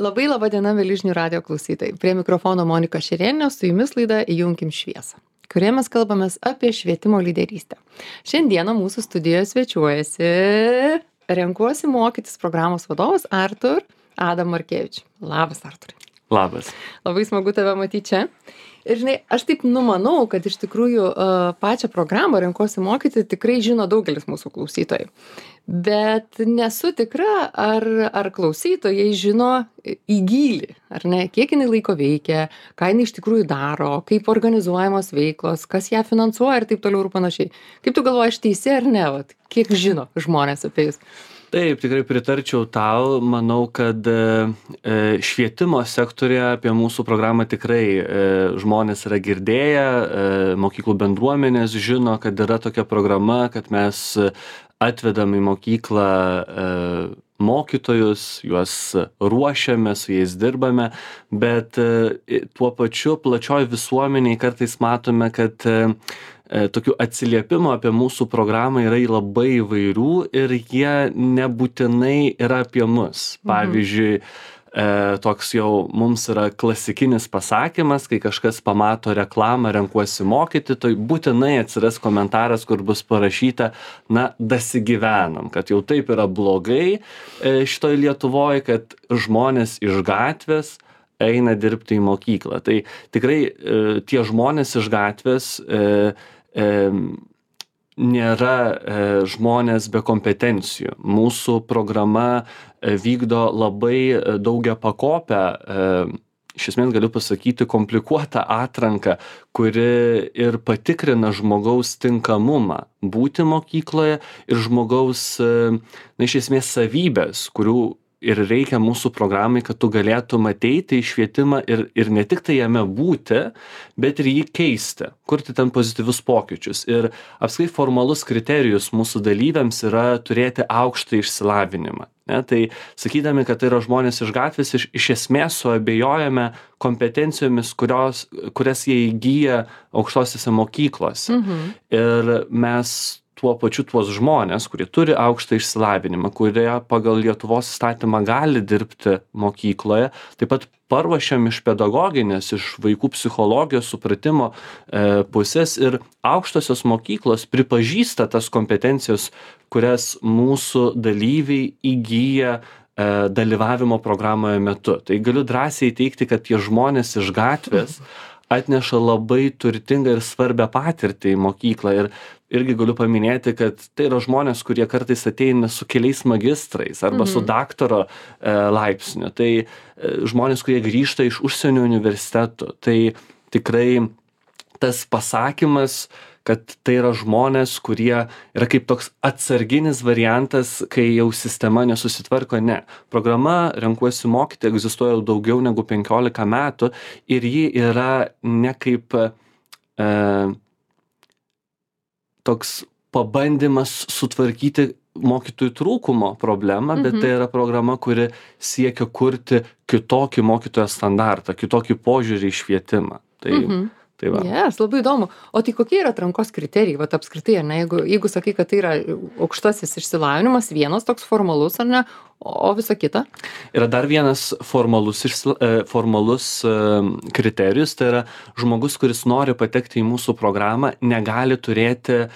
Labai laba diena, mėly žinių radijo klausytojai. Prie mikrofono Monika Šerėnė, su jumis laida Įjunkim šviesą, kurioje mes kalbamės apie švietimo lyderystę. Šiandieną mūsų studijoje svečiuojasi Renkuosi mokytis programos vadovas Artur Adam Markevič. Labas, Arturai. Labas. Labai smagu tave matyti čia. Ir žinai, aš taip numanau, kad iš tikrųjų pačią programą Renkuosi mokyti tikrai žino daugelis mūsų klausytojų. Bet nesu tikra, ar klausytojai žino į gylį, ar ne, kiek jinai laiko veikia, ką jinai iš tikrųjų daro, kaip organizuojamos veiklos, kas ją finansuoja ir taip toliau ir panašiai. Kaip tu galvoji, aš teisi ar ne, vat, kiek žino žmonės apie jūs? Taip, tikrai pritarčiau tau. Manau, kad švietimo sektorija apie mūsų programą tikrai žmonės yra girdėję, mokyklų bendruomenės žino, kad yra tokia programa, kad mes atvedam į mokyklą mokytojus, juos ruošiame, su jais dirbame, bet tuo pačiu plačioj visuomeniai kartais matome, kad tokių atsiliepimų apie mūsų programą yra labai įvairių ir jie nebūtinai yra apie mus. Pavyzdžiui, toks jau mums yra klasikinis pasakymas, kai kažkas pamato reklamą Renkuosi mokyti, tai būtinai atsiras komentaras, kur bus parašyta, dasigyvenom, kad jau taip yra blogai šitoj Lietuvoje, kad žmonės iš gatvės eina dirbti į mokyklą. Tai tikrai tie žmonės iš gatvės nėra žmonės be kompetencijų. Mūsų programa vykdo labai daugiapakopę, iš esmės galiu pasakyti, komplikuotą atranką, kuri ir patikrina žmogaus tinkamumą būti mokykloje ir žmogaus, iš esmės, savybės, kurių ir reikia mūsų programai, kad tu galėtum ateiti į švietimą ir ne tik tai jame būti, bet ir jį keisti, kurti ten pozityvius pokyčius. Ir apskritai formalus kriterijus mūsų dalyviams yra turėti aukštą išsilavinimą. Tai sakydami, kad tai yra žmonės iš gatvės, iš esmės suabejojame kompetencijomis, kurias jie įgyja aukštosiose mokyklose. Ir mes tuo pačiu tuos žmonės, kurie turi aukštą išsilavinimą, kurie pagal Lietuvos įstatymą gali dirbti mokykloje, taip pat paruošiam iš pedagoginės, iš vaikų psichologijos supratimo pusės ir aukštosios mokyklos pripažįsta tas kompetencijos, kurias mūsų dalyviai įgyja dalyvavimo programoje metu. Tai galiu drąsiai teigti, kad tie žmonės iš gatvės atneša labai turtingą ir svarbią patirtį į mokyklą. Ir irgi galiu paminėti, kad tai yra žmonės, kurie kartais ateina su keliais magistrais arba su daktaro laipsniu. Tai žmonės, kurie grįžta iš užsienio universitetų. Tai tikrai tas pasakymas, kad tai yra žmonės, kurie yra kaip toks atsarginis variantas, kai jau sistema nesusitvarko, ne. Programa Renkuosi mokyti egzistuoja jau daugiau negu 15 metų ir ji yra ne kaip toks pabandymas sutvarkyti mokytojų trūkumo problemą, bet tai yra programa, kuri siekia kurti kitokį mokytojo standartą, kitokį požiūrį į švietimą. Tai va. Yes, labai įdomu. O tai kokie yra atrankos kriterijai, vat apskritai, ar ne, jeigu sakai, kad tai yra aukštasis išsilavinimas, vienas toks formalus, ar ne, o visa kita? Yra dar vienas formalus kriterijus, tai yra žmogus, kuris nori patekti į mūsų programą, negali turėti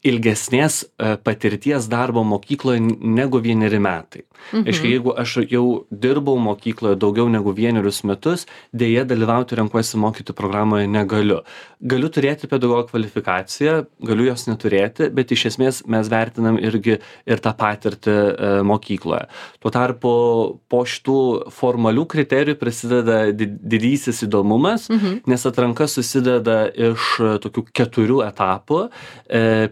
ilgesnės patirties darbo mokykloje negu 1 metai. Aiškiai, jeigu aš jau dirbau mokykloje daugiau negu 1 metus, dėja dalyvauti Renkuosi mokyti programoje negaliu. Galiu turėti pedagogo kvalifikaciją, galiu jos neturėti, bet iš esmės mes vertinam irgi ir tą patirtį mokykloje. Tuo tarpu po šitų formalių kriterijų prasideda didysis įdomumas, nes atranka susideda iš tokių 4 etapų.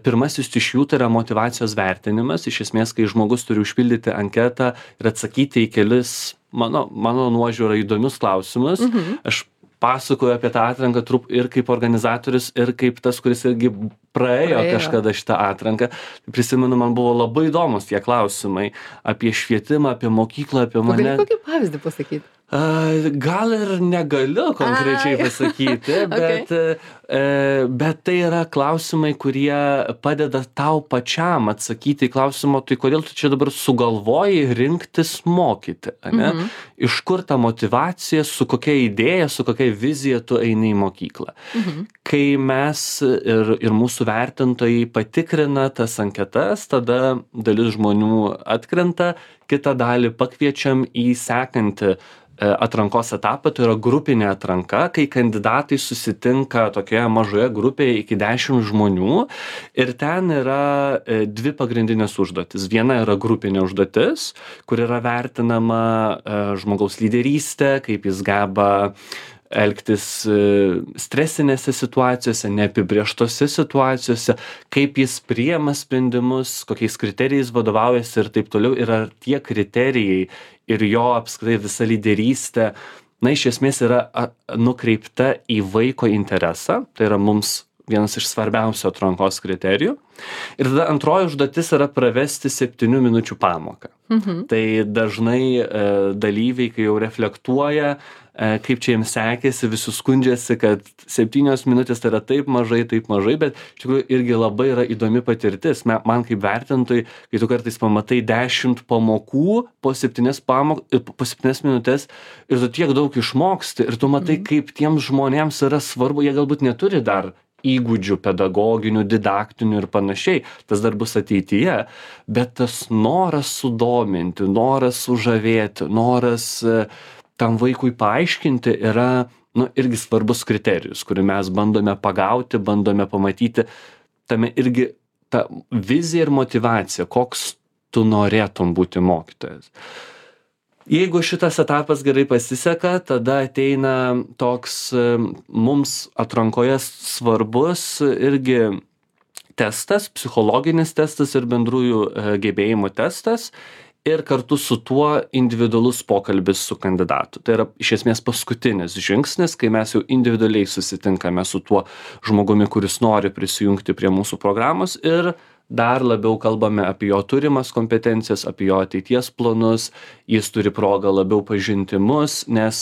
Pirmasis iš jų tai yra motyvacijos vertinimas. Iš esmės, kai žmogus turi užpildyti anketą ir atsakyti į kelis, mano nuožiūra, įdomius klausimus. Aš pasakoju apie tą atranką ir kaip organizatorius, ir kaip tas, kuris irgi praėjo kažkada šitą atranką. Prisimenu, man buvo labai įdomus tie klausimai apie švietimą, apie mokyklą, apie mane. Gali kokį pavyzdį pasakyti? Gal ir negaliu konkrečiai pasakyti, bet tai yra klausimai, kurie padeda tau pačiam atsakyti į klausimą, tai kodėl tu čia dabar sugalvoji rinktis mokyti, ane? Iš kur ta motyvacija, su kokia idėja, su kokia vizija tu eini į mokyklą. Kai mes ir mūsų vertintojai patikrina tas anketas, tada dalis žmonių atkrenta, kitą dalį pakviečiam į sekantį atrankos etapą, tai yra grupinė atranka, kai kandidatai susitinka tokioje mažoje grupėje iki 10 žmonių ir ten yra dvi pagrindinės užduotis. Viena yra grupinė užduotis, kur yra vertinama žmogaus lyderystė, kaip jis geba elgtis stresinėse situacijose, neapibrėžtose situacijose, kaip jis priima sprendimus, kokiais kriterijais vadovaujasi ir taip toliau. Ir ar tie kriterijai ir jo apskritai visa lyderystė, iš esmės yra nukreipta į vaiko interesą, tai yra mums vienas iš svarbiausių atrankos kriterijų. Ir tada antroji užduotis yra pravesti 7 minučių pamoką. Tai dažnai dalyviai, kai jau reflektuoja, kaip čia jiems sekėsi, visi skundžiasi, kad 7 minutės tai yra taip mažai, bet iš tikrųjų irgi labai yra įdomi patirtis. Man kaip vertintojui, kai tu kartais pamatai 10 pamokų po 7 minutės ir tu tiek daug išmoksti ir tu matai, kaip tiems žmonėms yra svarbu, jie galbūt neturi dar įgūdžių pedagoginių, didaktinių ir panašiai, tas dar bus ateityje, bet tas noras sudominti, noras sužavėti, noras tam vaikui paaiškinti yra irgi svarbus kriterijus, kurį mes bandome pagauti, bandome pamatyti, tame irgi ta vizija ir motyvacija, koks tu norėtum būti mokytojas. Jeigu šitas etapas gerai pasiseka, tada ateina toks mums atrankoje svarbus irgi testas, psichologinis testas ir bendrųjų gebėjimų testas. Ir kartu su tuo individualus pokalbis su kandidatu. Tai yra iš esmės paskutinis žingsnis, kai mes jau individualiai susitinkame su tuo žmogumi, kuris nori prisijungti prie mūsų programos ir dar labiau kalbame apie jo turimas kompetencijas, apie jo ateities planus, jis turi progą labiau pažinti mus, nes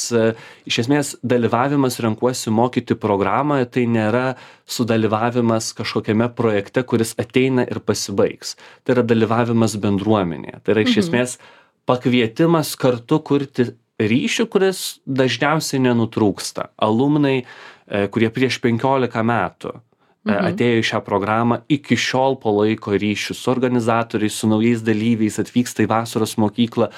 iš esmės dalyvavimas renkuosi mokyti programoje, tai nėra sudalyvavimas kažkokiame projekte, kuris ateina ir pasibaigs. Tai yra dalyvavimas bendruomenėje. Tai yra iš esmės pakvietimas kartu kurti ryšį, kuris dažniausiai nenutrūksta. Alumnai, kurie prieš 15 metų atėjo į šią programą, iki šiol palaiko ryšius su organizatoriais, su naujais dalyviais, atvyksta į vasaros mokyklą,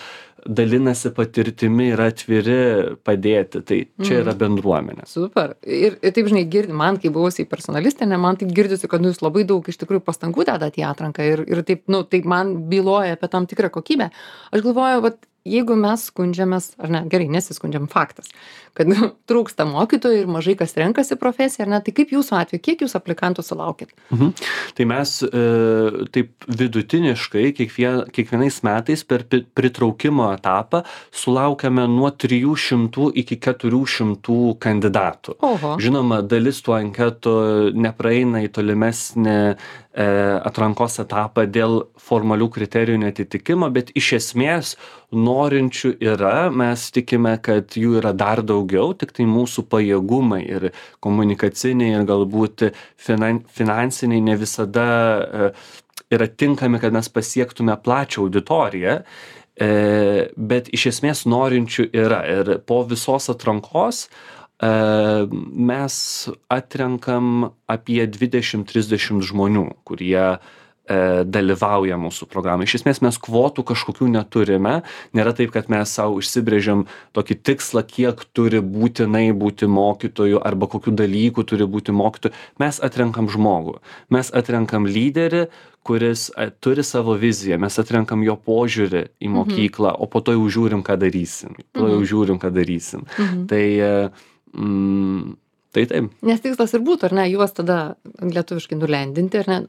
dalinasi patirtimi, yra atviri padėti. Tai čia yra bendruomenė. Super. Ir taip, žinai, man, kai buvusiai personalistė, man taip girdisi, kad jūs labai daug iš tikrųjų pastangų dedate į atranką ir taip, taip man byloja apie tam tikrą kokybę. Aš galvoju, vat, jeigu mes skundžiamės, ar ne, gerai, nesiskundžiam, faktas, kad trūksta mokytojų ir mažai kas renkasi profesiją, ar ne, tai kaip jūsų atveju, kiek jūs aplikantų sulaukėt? Tai mes taip vidutiniškai kiekvienais metais per pritraukimo etapą sulaukiame nuo 300 iki 400 kandidatų. Oho. Žinoma, dalis tų anketų nepraeina į tolimesnį atrankos etapą dėl formalių kriterijų netitikimo, bet iš esmės norinčių yra, mes tikime, kad jų yra dar daugiau, tik tai mūsų pajėgumai ir komunikaciniai ir galbūt finansiniai ne visada yra tinkami, kad mes pasiektume plačią auditoriją, bet iš esmės norinčių yra. Ir po visos atrankos mes atrenkam apie 20-30 žmonių, kurie dalyvauja mūsų programai. Iš esmės mes kvotų kažkokių neturime. Nėra taip, kad mes savo išsibrėžiam tokį tikslą, kiek turi būtinai būti mokytojų arba kokių dalykų turi būti mokytojų. Mes atrenkam žmogų. Mes atrenkam lyderį, kuris turi savo viziją. Mes atrenkam jo požiūrį į mokyklą, o po to jau žiūrim, ką darysim. Tai taip. Nes tikslas ir būtų, ar ne, juos tada lietuviškai nulendinti, ar ne,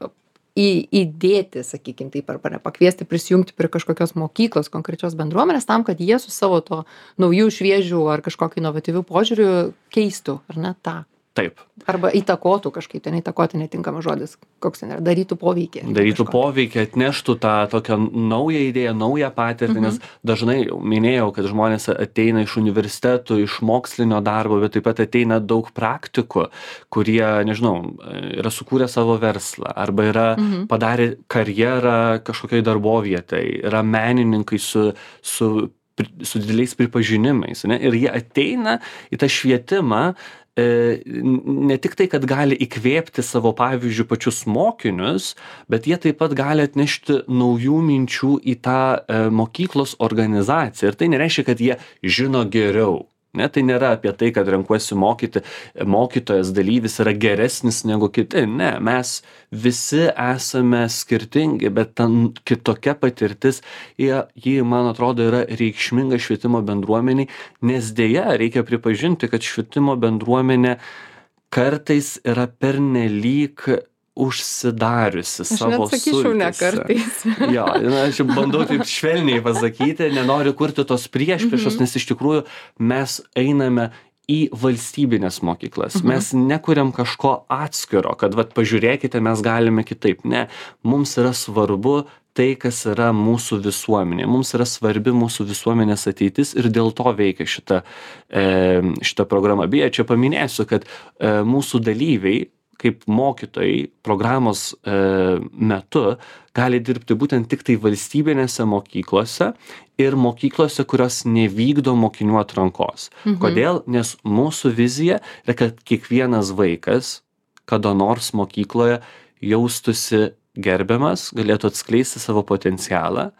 įdėti, sakykime, taip, arba pakviesti prisijungti prie kažkokios mokyklos, konkrečios bendruomenės, tam, kad jie su savo to naujų, šviežių ar kažkokiu inovatyviu požiūriu keistų, ar ne, tą Taip. Arba įtakotų kažkaip, ten įtakoti netinkamas žodis, koks ten yra, darytų poveikį. Darytų poveikį, atneštų tą tokią naują idėją, naują patirtį, nes dažnai minėjau, kad žmonės ateina iš universitetų, iš mokslinio darbo, bet taip pat ateina daug praktikų, kurie, nežinau, yra sukūrę savo verslą arba yra padarę karjerą kažkokiai darbovietai, yra menininkai su dideliais pripažinimais, ne? Ir jie ateina į tą švietimą, ne tik tai, kad gali įkvėpti savo pavyzdžių pačius mokinius, bet jie taip pat gali atnešti naujų minčių į tą mokyklos organizaciją. Ir tai nereiškia, kad jie žino geriau. Ne, tai nėra apie tai, kad renkuosi mokyti, mokytojas dalyvis yra geresnis negu kiti. Ne, mes visi esame skirtingi, bet ten kitokia patirtis, ji, man atrodo, yra reikšminga švietimo bendruomeniai, nes dėja reikia pripažinti, kad švietimo bendruomenė kartais yra pernelyg užsidariusi savo sultyse. Aš net sakyčiau, ne kartais. Jo, aš bandau taip švelniai pasakyti, nenoriu kurti tos priešpriešos, nes iš tikrųjų mes einame į valstybinės mokyklas. Mes nekuriam kažko atskiro, kad vat pažiūrėkite, mes galime kitaip. Ne, mums yra svarbu tai, kas yra mūsų visuomenė. Mums yra svarbi mūsų visuomenės ateitis ir dėl to veikia šita programa. Beje, čia paminėsiu, kad mūsų dalyviai kaip mokytojai programos metu gali dirbti būtent tik tai valstybinėse mokyklose ir mokyklose, kurios nevykdo mokinių atrankos. Kodėl? Nes mūsų vizija yra, kad kiekvienas vaikas kada nors mokykloje jaustųsi gerbiamas, galėtų atskleisti savo potencialą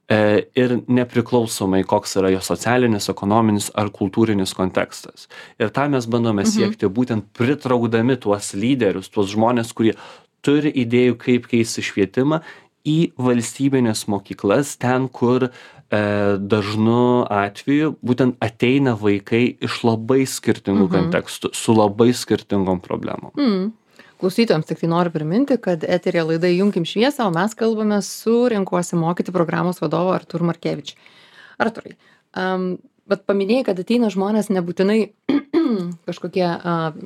ir nepriklausomai, koks yra jo socialinis, ekonominis ar kultūrinis kontekstas. Ir tą mes bandome siekti būtent pritraukdami tuos lyderius, tuos žmonės, kurie turi idėjų, kaip keisti švietimą į valstybinės mokyklas, ten, kur dažnu atveju būtent ateina vaikai iš labai skirtingų kontekstų, su labai skirtingom problemom. Klausytojams tik tai noriu priminti, kad eteryje laida Įjunkim šviesą, o mes kalbame su Renkuosi mokyti programos vadovu Artūru Markevič. Artūrai, bet paminėjai, kad ateina žmonės nebūtinai kažkokie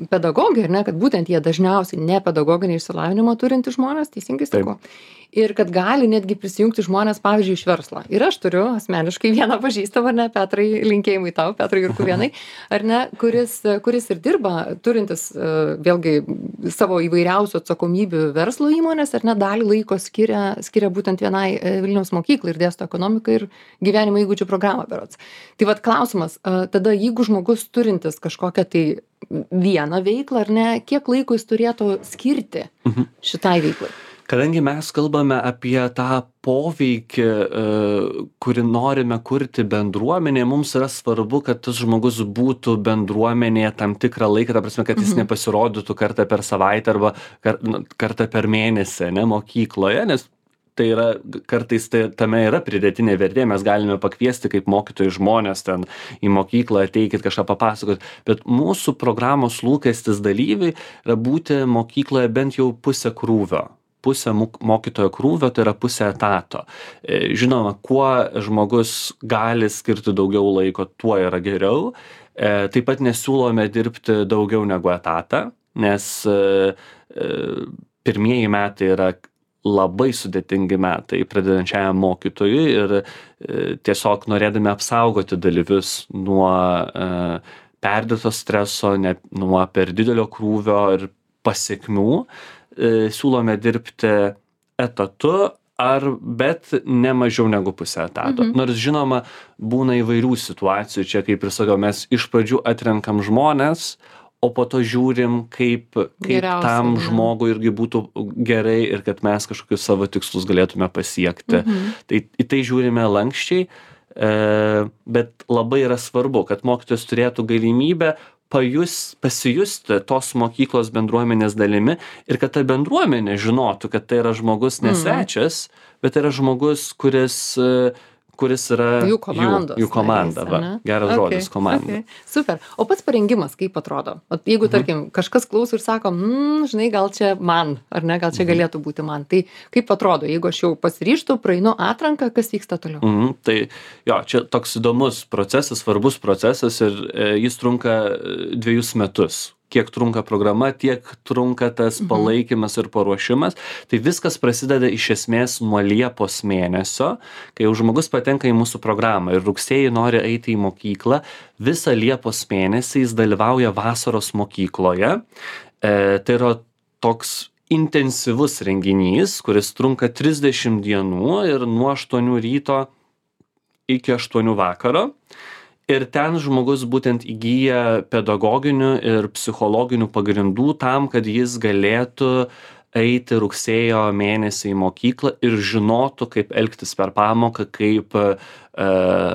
pedagogai, ar ne, kad būtent jie dažniausiai ne pedagoginį išsilavinimą turinti žmonės, teisingai sakau. Ir kad gali netgi prisijungti žmonės, pavyzdžiui, iš verslo. Ir aš turiu asmeniškai vieną pažįstamą, ar ne, Petrai, linkėjimai tau, Petrai Jurkuvienai, ar ne, kuris ir dirba, turintis vėlgi savo įvairiausių atsakomybių verslo įmonės, ar ne, dalį laiko skiria būtent vienai Vilniaus mokyklai ir dėsto ekonomiką ir gyvenimo įgūdžių programą berods. Tai vat klausimas, tada jeigu žmogus turintis kažkokią tai vieną veiklą, ar ne, kiek laiko jis turėtų skirti šitai veiklai? Kadangi mes kalbame apie tą poveikį, kurį norime kurti bendruomenėje, mums yra svarbu, kad tas žmogus būtų bendruomenėje tam tikrą laiką, ta prasme, kad jis nepasirodytų kartą per savaitę arba kartą per mėnesį, ne, mokykloje, nes tai yra, kartais tame yra pridėtinė vertė, mes galime pakviesti kaip mokytojai žmonės ten į mokyklą, ateikit kažką papasakot, bet mūsų programos lūkestis dalyviai yra būti mokykloje bent jau pusę krūvio. Pusę mokytojo krūvio, tai yra pusę etato. Žinoma, kuo žmogus gali skirti daugiau laiko, tuo yra geriau. Taip pat nesiūlome dirbti daugiau negu etatą, nes pirmieji metai yra labai sudėtingi metai pradedančiajam mokytojui ir tiesiog norėdami apsaugoti dalyvius nuo perdėto streso, nuo per didelio krūvio ir pasekmių, siūlome dirbti etatu, bet ne mažiau negu pusę etato. Nors žinoma, būna įvairių situacijų, čia kaip ir sakiau, mes iš pradžių atrenkam žmonės, o po to žiūrim, kaip tam žmogui irgi būtų gerai ir kad mes kažkokius savo tikslus galėtume pasiekti. Tai į tai žiūrime lankščiai, bet labai yra svarbu, kad mokytojas turėtų galimybę pasijusti tos mokyklos bendruomenės dalimi ir kad ta bendruomenė žinotų, kad tai yra žmogus ne svečias, bet tai yra žmogus, kuris yra jų komanda. Geras žodis, komanda. Super. O pats parengimas kaip atrodo? Jeigu, tarkim, kažkas klauso ir sako, žinai, gal čia man, ar ne, gal čia galėtų būti man. Tai kaip atrodo, jeigu aš jau pasiryžtu, praeinu atranką, kas vyksta toliau? Tai jo, čia toks įdomus procesas, svarbus procesas ir jis trunka 2 metus. kiek trunka programa, tiek trunka tas palaikymas ir paruošimas. Tai viskas prasideda iš esmės nuo Liepos mėnesio, kai jau žmogus patenka į mūsų programą ir rugsėjį nori eiti į mokyklą, visą Liepos mėnesį jis dalyvauja vasaros mokykloje. Tai yra toks intensyvus renginys, kuris trunka 30 dienų ir nuo 8 ryto iki 8 vakaro. Ir ten žmogus būtent įgyja pedagoginių ir psichologinių pagrindų tam, kad jis galėtų eiti rugsėjo mėnesį į mokyklą ir žinotų, kaip elgtis per pamoką, kaip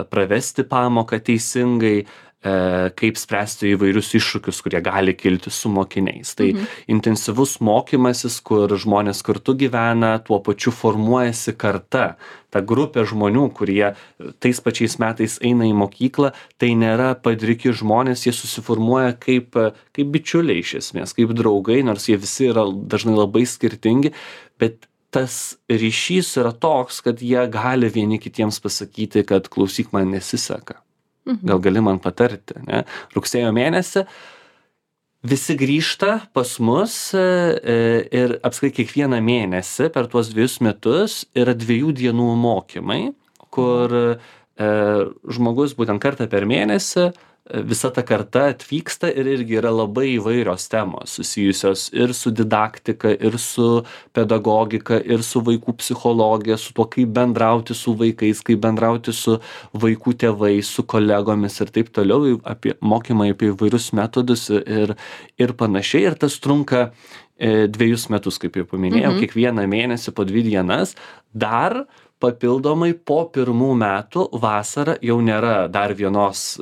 pravesti pamoką teisingai, kaip spręsti įvairius iššūkius, kurie gali kilti su mokiniais. Tai intensyvus mokymasis, kur žmonės kartu gyvena, tuo pačiu formuojasi karta. Ta grupė žmonių, kurie tais pačiais metais eina į mokyklą, tai nėra padriki žmonės, jie susiformuoja kaip bičiuliai iš esmės, kaip draugai, nors jie visi yra dažnai labai skirtingi, bet tas ryšys yra toks, kad jie gali vieni kitiems pasakyti, kad klausyk, man nesiseka. Gal gali man patarti, ne? Rugsėjo mėnesį visi grįžta pas mus ir apskritai kiekvieną mėnesį per tuos 2 metus yra 2 dienų mokymai, kur žmogus būtent kartą per mėnesį visa ta karta atvyksta ir irgi yra labai įvairios temos susijusios ir su didaktika, ir su pedagogika, ir su vaikų psichologija, su tuo, kaip bendrauti su vaikais, kaip bendrauti su vaikų tėvais, su kolegomis ir taip toliau, mokymai apie įvairius metodus ir panašiai. Ir tas trunka 2 metus, kaip jau paminėjau, kiekvieną mėnesį po 2 dienas. Dar papildomai po 1 metų vasarą jau nėra dar 1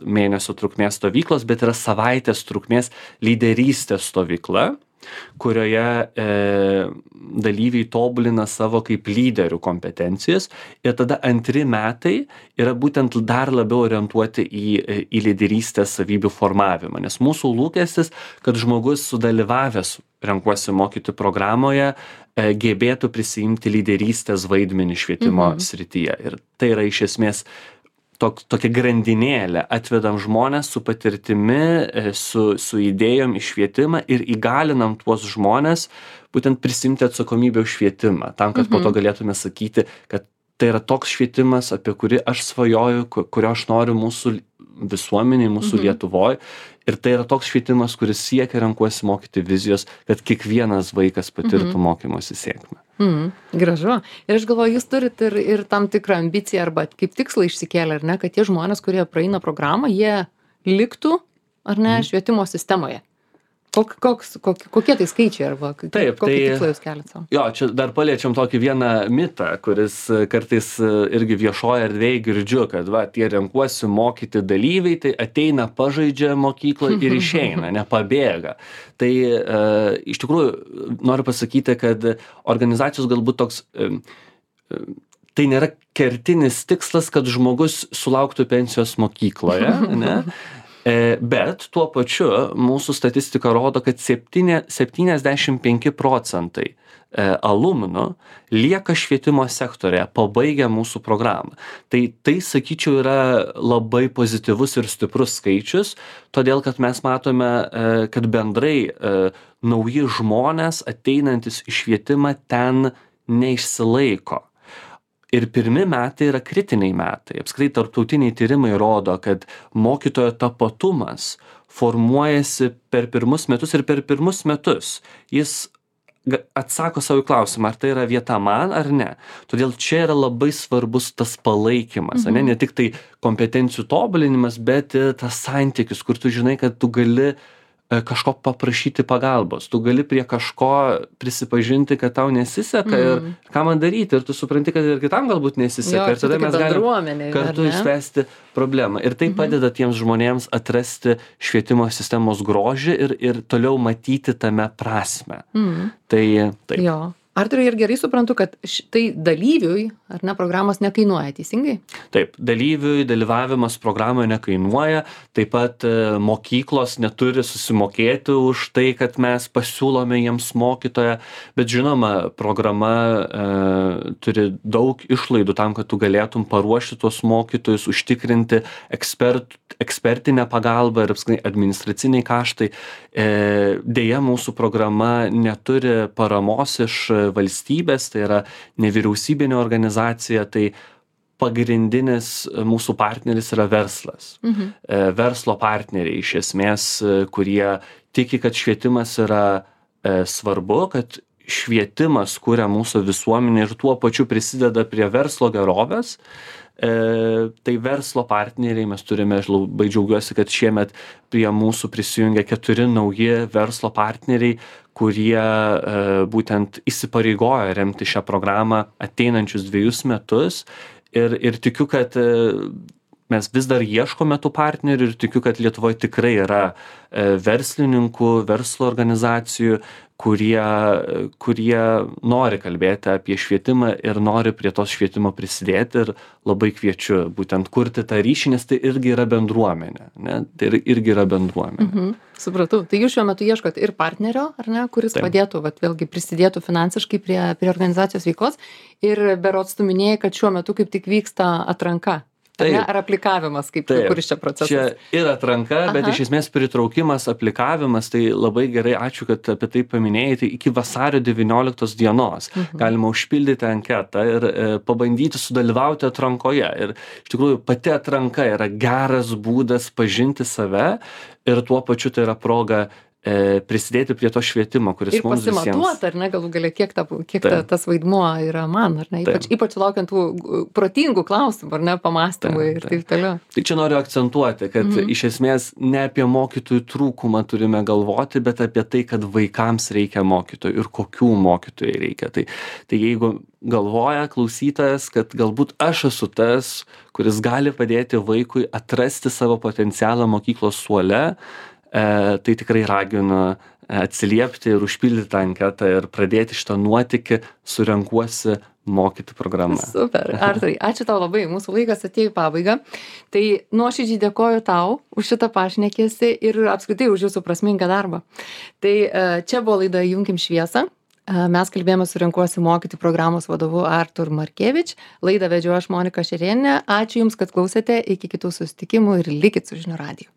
mėnesio trukmės stovyklos, bet yra savaitės trukmės lyderystės stovykla, kurioje dalyviai tobulina savo kaip lyderių kompetencijas ir tada 2 metai yra būtent dar labiau orientuoti į lyderystės savybių formavimą, nes mūsų lūkestis, kad žmogus sudalyvavęs renkuosi mokyti programoje gebėtų prisiimti lyderystės vaidmenį švietimo srityje. Ir tai yra iš esmės tokia grandinėlė. Atvedam žmonės su patirtimi, su idėjom į švietimą ir įgalinam tuos žmonės būtent prisimti atsakomybę už švietimą, tam, kad po to galėtume sakyti, kad tai yra toks švietimas, apie kurį aš svajoju, kurio aš noriu mūsų visuomeniai, mūsų Lietuvoje. Ir tai yra toks švietimas, kuris siekia renkuosi mokyti vizijos, kad kiekvienas vaikas patirtų mokymosi sėkmę. Gražu. Ir aš galvoju, jūs turit ir tam tikrą ambiciją arba kaip tikslą išsikėlę, ar ne, kad tie žmonės, kurie praeina programą, jie liktų, ar ne, švietimo sistemoje. Kokie tai skaičiai arba kokį tikslą jūs keliat savo? Jo, čia dar paliečiam tokį vieną mitą, kuris kartais irgi viešoje erdvėje girdžiu, kad tie renkuosi mokyti dalyviai, tai ateina, pažaidžia mokykloje ir išeina, nepabėga. Tai iš tikrųjų noriu pasakyti, kad organizacijos galbūt toks tai nėra kertinis tikslas, kad žmogus sulauktų pensijos mokykloje, ne? Bet tuo pačiu mūsų statistika rodo, kad 75% alumnų lieka švietimo sektorėje, pabaigia mūsų programą. Tai sakyčiau, yra labai pozityvus ir stiprus skaičius, todėl kad mes matome, kad bendrai nauji žmonės ateinantis į švietimą ten neišsilaiko. Ir 1 metai yra kritiniai metai. Apskritai tarptautiniai tyrimai rodo, kad mokytojo tapatumas formuojasi per 1 metus ir per 1 metus. Jis atsako savo klausimą, ar tai yra vieta man ar ne. Todėl čia yra labai svarbus tas palaikymas, ne tik tai kompetencijų tobulinimas, bet ir tas santykis, kur tu žinai, kad tu gali kažko paprašyti pagalbos, tu gali prie kažko prisipažinti, kad tau nesiseka ir ką man daryti, ir tu supranti, kad ir kitam galbūt nesiseka, ir tada mes galime kartu išspręsti problemą. Ir tai padeda tiems žmonėms atrasti švietimo sistemos grožį ir toliau matyti tame prasmę. Tai taip. Jo. Arturai, ir gerai suprantu, kad tai dalyviui ar ne, programos nekainuoja, teisingai? Taip, dalyviui dalyvavimas programoje nekainuoja, taip pat mokyklos neturi susimokėti už tai, kad mes pasiūlome jiems mokytoją, bet žinoma, programa turi daug išlaidų tam, kad tu galėtum paruošti tuos mokytojus, užtikrinti ekspertinę pagalbą ir apskritai administraciniai kaštai. Deja, mūsų programa neturi paramos iš valstybės, tai yra nevyriausybinė organizacija, tai pagrindinis mūsų partneris yra verslas. Verslo partneriai iš esmės, kurie tiki, kad švietimas yra svarbu, kad švietimas kuria mūsų visuomenę ir tuo pačiu prisideda prie verslo gerovės. Tai verslo partneriai, mes turime, aš labai džiaugiuosi, kad šiemet prie mūsų prisijungia 4 nauji verslo partneriai, kurie būtent įsipareigojo remti šią programą ateinančius 2 metus. Ir tikiu, kad mes vis dar ieškome tų partnerių ir tikiu, kad Lietuvoje tikrai yra verslininkų, verslo organizacijų, kurie nori kalbėti apie švietimą ir nori prie tos švietimo prisidėti ir labai kviečiu būtent kurti tą ryšį, nes tai irgi yra bendruomenė, ne? Tai irgi yra bendruomenė. Supratau. Tai jūs šiuo metu ieškot ir partnerio, ar ne, kuris padėtų, vėlgi prisidėtų finansiškai prie organizacijos veiklos. Ir berods tu minėjai, kad šiuo metu kaip tik vyksta atranka. Ar aplikavimas, kuris čia procesas? Čia ir atranka, bet iš esmės pritraukimas, aplikavimas, tai labai gerai, ačiū, kad apie tai paminėjai, tai iki vasario 19 dienos galima užpildyti anketą ir pabandyti sudalyvauti atrankoje. Ir iš tikrųjų pati atranka yra geras būdas pažinti save ir tuo pačiu tai yra proga prisidėti prie to švietimo, kuris mums visiems. Ir pasimatuoti, ar ne, galų galia, kiek tas vaidmuo yra man, ar ne, ypač laukiant tų protingų klausimų, ar ne, pamastymų ir taip toliau. Tai čia noriu akcentuoti, kad iš esmės ne apie mokytojų trūkumą turime galvoti, bet apie tai, kad vaikams reikia mokytojų ir kokių mokytojų reikia. Tai jeigu galvoja klausytojas, kad galbūt aš esu tas, kuris gali padėti vaikui atrasti savo potencialą mokyklos suole, tai tikrai raginu atsiliepti ir užpildyti anketą ir pradėti šitą nuotykį su Renkuosi mokyti programą. Super. Arturai, ačiū tau labai. Mūsų laikas atėjo į pabaigą. Tai nuoširdžiai dėkoju tau už šitą pašnekesį ir apskritai už jūsų prasmingą darbą. Tai čia buvo laida Įjunkim šviesą. Mes kalbėjome su Renkuosi mokyti programos vadovu Artur Markevič. Laidą vedžiau aš Monika Šerėnienė. Ačiū Jums, kad klausėte. Iki kitų susitikimų ir likit su Žinių radiju.